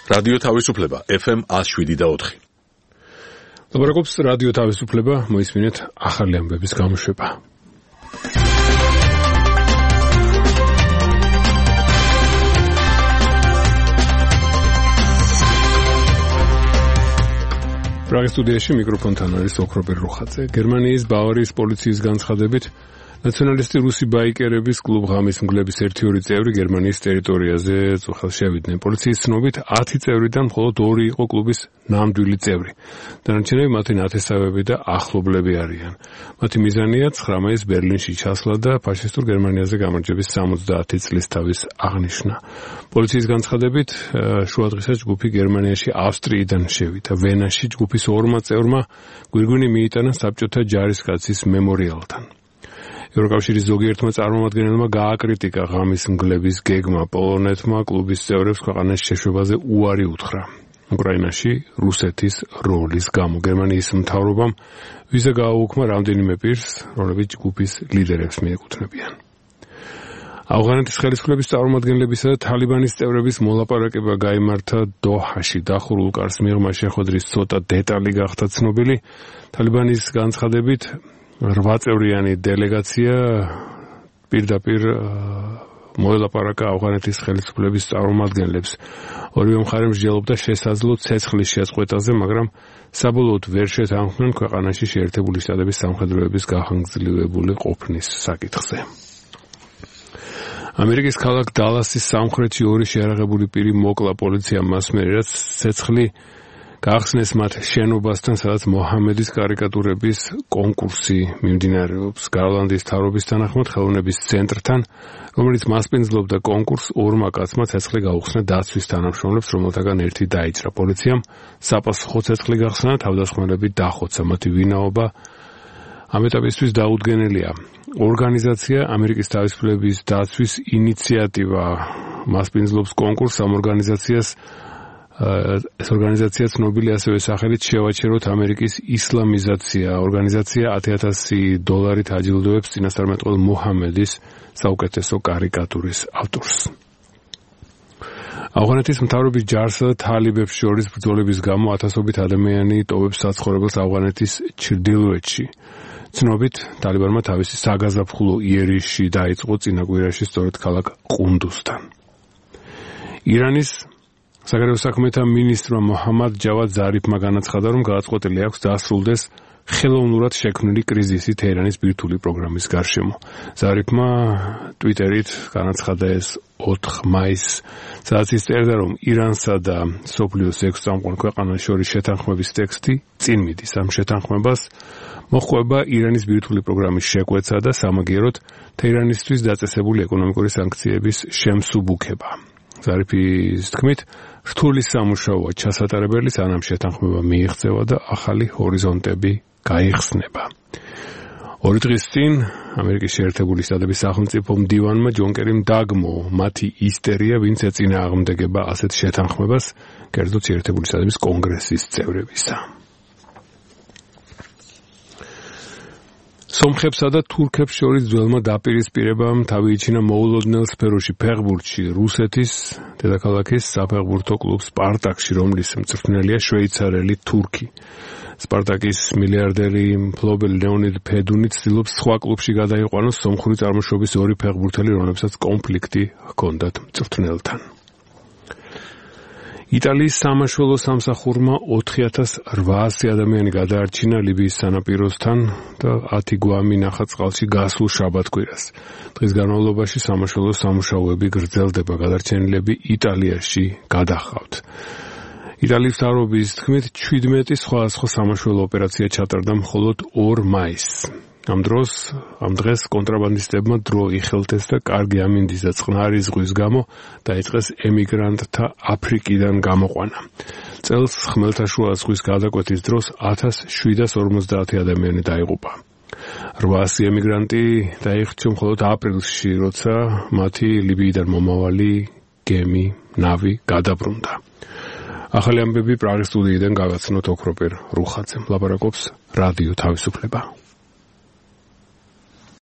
რადიო თავისუფლება FM 107.4. ლაპარაკობს რადიო თავისუფლება, მოისმინეთ ახალი ამბების გამოშვება. პრაღის სტუდიაში მიკროფონთან არის ოქრობერ რუხაძე. გერმანიის ბავარიის პოლიციის განცხადებით ნაციონალისტი რუსი ბაიკერების კლუბ ღამის მგლების 1-2 წევრი გერმანიის ტერიტორიაზე წუხელს შევიდნენ. პოლიციის ცნობით 10 წევრიდან მხოლოდ 2 იყო კლუბის ნამდვილი წევრი. დანარჩენები მათი ნათესავები და ახლობლები არიან. მათი მიზანია 9 მაისს ბერლინში ჩასვლა და ფაშისტურ გერმანიაზე გამარჯვების 70 წლის თავის აღნიშვნა. პოლიციის განცხადებით შუადღესაც ჯგუფი გერმანიაში ავსტრიიდან შევიდა. ვენაში ჯგუფის 2 წევრმა გვირგვინი მიიტანა საბჭოთა ჯარისკაცის მემორიალთან. ევროკავშირის ზოგიერთმა წარმომადგენელმა გააკრიტიკა ღამის მგლების გეგმა. პოლონეთმა კლუბის წევრებს ქვეყანაში შეშვებაზე უარი უთხრა. უკრაინაში რუსეთის როლის გამო გერმანიის მთავრობამ ვიზა გააუქმა რამდენიმე პირს, რომლებიც ჯგუფის ლიდერებს მიეკუთვნებიან. ავღანეთის ხელისუფლების წარმომადგენლებისა და თალიბანის წევრების მოლაპარაკება გაიმართა დოჰაში. დახურულ კარს მიღმა შეხვედრის ცოტა დეტალი გახდა ცნობილი. თალიბანის განცხადებით 8 წევრიანი დელეგაცია პირდაპირ მოელაპარაკა ავღანეთის ხელისუფლების წარმომადგენლებს. ორივე მხარე მსჯელობდა შესაძლო ცეცხლის შეწყვეტაზე, მაგრამ საბოლოოდ ვერ შეთანხმდნენ ქვეყანაში შეერთებული შტატების სამხედროების გახანგრძლივებული ყოფნის საკითხზე. ამერიკის ქალაქ დალასის სამხრეთში 2 შეარაღებული პირი მოკლა პოლიციამ მას მერე, რაც ცეცხლი გაახსნეს მათ შენობასთან, სადაც მოჰამედის კარიკატურების კონკურსი მიმდინარეობს. გარლანდის მთავრობის თანახმად ხელოვნების ცენტრთან, რომელიც მასპინძლობდა კონკურსს, 2 კაცმა ცეცხლი გაუხსნა დაცვის თანამშრომლებს, რომელთაგან ერთი დაიჭრა. პოლიციამ საპასუხო ცეცხლი გახსნა, თავდასხმელები დახოცა. მათი ვინაობა ამ ეტაპისთვის დაუდგენელია. ორგანიზაცია ამერიკის თავისუფლების დაცვის ინიციატივა მასპინძლობს კონკურსს. ამ ეს ორგანიზაცია ცნობილი ასევე სახელით შევაჩეროთ ამერიკის ისლამიზაცია. ორგანიზაცია $10,000 აჯილდოებს წინასწარმეტყველ მოჰამედის საუკეთესო კარიკატურის ავტორს. ავღანეთის მთავრობის ჯარსა და თალიბებს შორის ბრძოლების გამო ათასობით ადამიანი ტოვებს საცხოვრებელს ავღანეთის ჩრდილოეთში. ცნობით, თალიბანმა თავისი საგაზაფხულო იერიში დაიწყო წინა კვირაში სწორედ ქალაქ ყუნდუსთან. ირანის საგარეო საქმეთა მინისტრმა მოჰამად ჯავად ზარიფმა განაცხადა, რომ გადაწყვეტილი აქვს დასრულდეს ხელოვნურად შექმნილი კრიზისი თეირანის ბირთვული პროგრამის გარშემო. ზარიფმა ტვიტერით განაცხადა ეს 4 მაისს, სადაც ის წერდა, რომ ირანსა და მსოფლიოს 6 წამყვან ქვეყანას შორის შეთანხმების ტექსტი წინ მიდის. ამ შეთანხმებას მოჰყვება ირანის ბირთვული პროგრამის შეკვეცა და სამაგიეროდ თეირანისთვის დაწესებული ეკონომიკური სანქციების შემსუბუქება. ზარიფის თქმით, რთული სამუშაოა ჩასატარებელი, სანამ შეთანხმება მიიღწევა და ახალი ჰორიზონტები გაიხსნება. 2 დღის წინ ამერიკის შეერთებული შტატების სახელმწიფო მდივანმა ჯონ კერიმ დაგმო მათი ისტერია, ვინც ეწინააღმდეგება ასეთ შეთანხმებას, კერძოდ შეერთებული შტატების კონგრესის წევრებისა. სომხებსა და თურქებს შორის ძველმა დაპირისპირებამ თავი იჩინა მოულოდნელ სფეროში ფეხბურთში რუსეთის დედაქალაქის საფეხბურთო კლუბ სპარტაკში, რომლის მწვრთნელია შვეიცარელი თურქი. სპარტაკის მილიარდერი მფლობელი ლეონიდ ფედუნი ცდილობს სხვა კლუბში გადაიყვანოს სომხური წარმოშობის 2 ფეხბურთელი, რომლებსაც კონფლიქტი ჰქონდათ მწვრთნელთან. იტალიის სამაშველო სამსახურმა 4,800 ადამიანი გადაარჩინა ლიბიის სანაპიროსთან და 10 გვამი ნახატწყალში გასულ შაბათ-კვირას. დღის განმავლობაში სამაშველო სამუშაოები გრძელდება, გადარჩენილები იტალიაში გადახავთ. იტალიის მთავრობის თქმით, 17 სხვადასხვა სამაშველო ოპერაცია ჩატარდა მხოლოდ 2 მაისს. ამ დღეს კონტრაბანდისტებმა დრო იხელთეს და კარგი ამინდის და წყნარი ზღვის გამო დაიწყეს ემიგრანტთა აფრიკიდან გამოყვანა. წელს ხმელთაშუა ზღვის გადაკვეთის დროს 1750 ადამიანი დაიღუპა. 800 ემიგრანტი დაიხჩო მხოლოდ აპრილში, როცა მათი ლიბიიდან მომავალი გემი ნავი გადაბრუნდა. ახალი ამბები პრაღის სტუდიიდან გავაცნოთ ოქროპერ რუხაძემ. ლაპარაკობს რადიო თავისუფლება.